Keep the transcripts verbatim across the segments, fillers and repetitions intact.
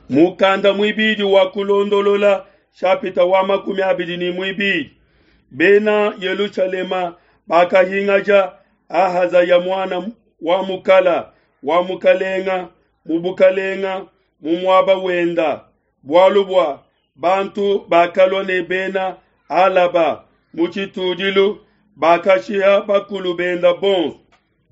Mukanda muibidi wa kulondolola shapita wa makumi abidi ne muibidi. Bena Yelushalema bakahingaja Ahazaya muana wa mukala wa mukalenga mu bukalenga mu muaba wenda, bualu bua bantu bakalua ne bena Alaba mu tshitudilu bakashiha bakulu benda bonso.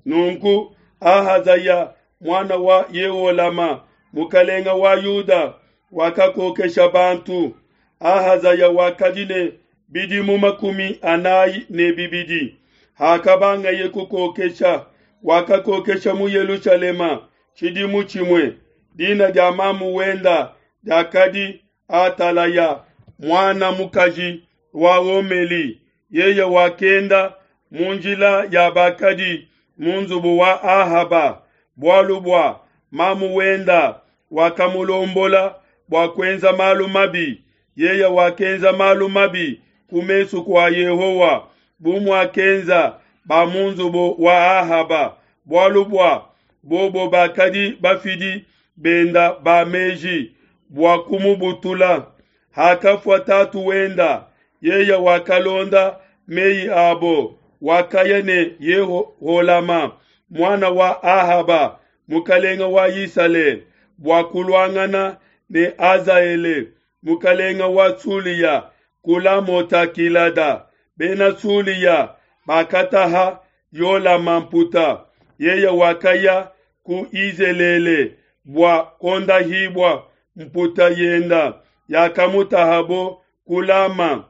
Nunku Ahazaya muana wa Yeholama mukalenga wa Yuda wakakokesha bantu. Ahazaya wakadi ne bidimu makumi anayi ne bibidi hakabangaye kukokesha, wakakokesha mu Yelushalema tshidimu tshimue. Dina dia mamu wenda diakadi Atalaya muana mukaji wa Omeli. Yeye wakenda mu njila ya bakadi mu nzubu wa Ahaba, bualu bua mamu wenda wakamulombola bua kuenza malu mabi. Yeye wakenza malu mabi ku mesu kua Yehowa, bu muakenza ba mu nzubu wa Ahaba, bualu bua bobo bakadi bafidi benda ba meji bua kumubutula. Hakafua tatu wenda, yeye wakalonda meyi abo, wakaya ne Yeholama muana wa Ahaba mukalenga wa Isalele bua kuluangana ne Hazaele mukalenga wa Sulia ku Lamota Gilada. Bena Sulia bakataha Yolama mputa, yeye wakaya ku Izelele bua kondahibua mputa yenda yakamutahabo ku Lama.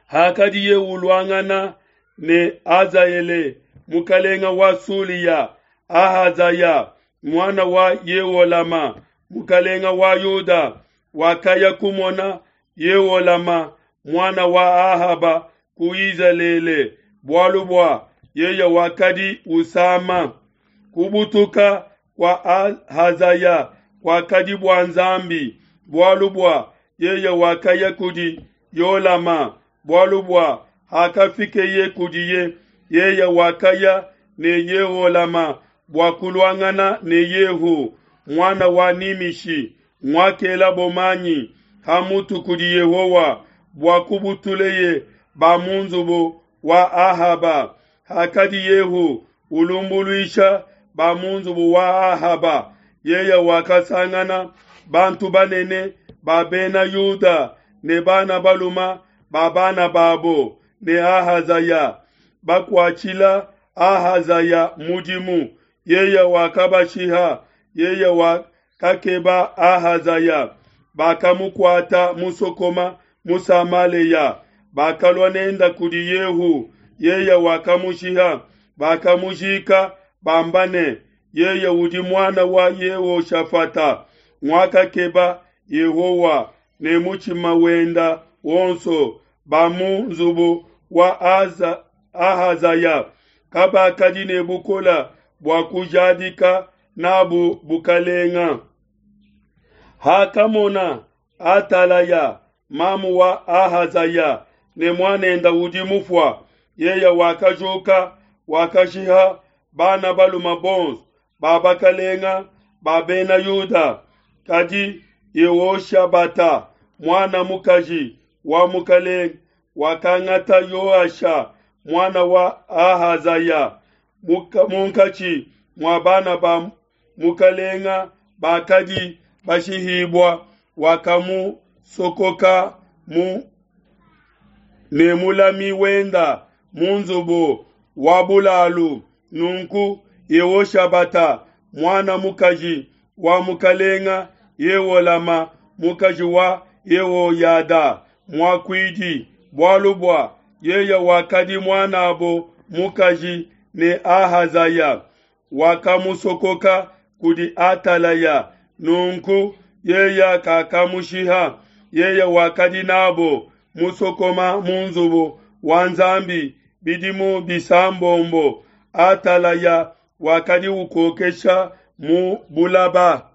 Hakadiye uluangana ne Hazaele mukalenga wa Sulia, Ahazaya muana wa Yeholama mukalenga wa Yuda wakaya kumona Yeholama muana wa Ahaba ku Izelele, bualu bua yeye wakadi usama. Kubutuka kwa Ahazaya kwakadi bua Nzambi, bualu bua yeye wakaya kudi Yolama, bualu bua hakafikeye kudiye, yeye wakaya ne Yeholama bua kuluangana ne Yehu muana wa Nimishi, nguakelabo manyi ha mutu kudi Yehowa bua kubutuleye ba mu nzubu wa Ahaba. Hakadi Yehu ulumbuluisha ba mu nzubu wa Ahaba, yeye wakasangana bantu banene ba bena Yuda ne bana baluma ba bana babo ne Ahazaya bakuatshila Ahazaya mudimu. Yeye wakabashiha, yeye wakakeba Ahazaya, bakamukuata musokoma mu Samaleya, bakalua nenda kudi Yehu, yeye wakamushiha, bakamujika bamba ne, yeye udi muana wa Yehoshafata, nguakakeba Yehowa ne mutshima wenda wonso. Ba mu nzubu wa Aza, Ahazaya kabakadi ne bukola bua kujadika nabu bukalenga. Hakamona Atalaya mamu wa Ahazaya ne muanenda udi mufua, yeye wakajuka wakashiha bana baluma bonso ba bakalenga ba bena Yuda. Kadi Yehoshabata muana mukaji wa mukalenga wakangata Yoasha muana wa Ahazaya munkatshi mua bana ba mukalenga bakadi bashihibua, wakamusokoka mu ne mulami wenda mu nzubu wa bulalu. Nunku Yehoshabata muana mukaji wa mukalenga Yeholama mukaji wa Yehoyada muakuidi, bualu bua yeye wakadi muanabo mukaji ne Ahazaya, wakamusokoka kudi Atalaya. Nunku yeye kakamushiha, yeye wakadi nabo musokoma mu nzubu wa Nzambi bidimu bisambombo. Atalaya wakadi ukokesha mu bulaba.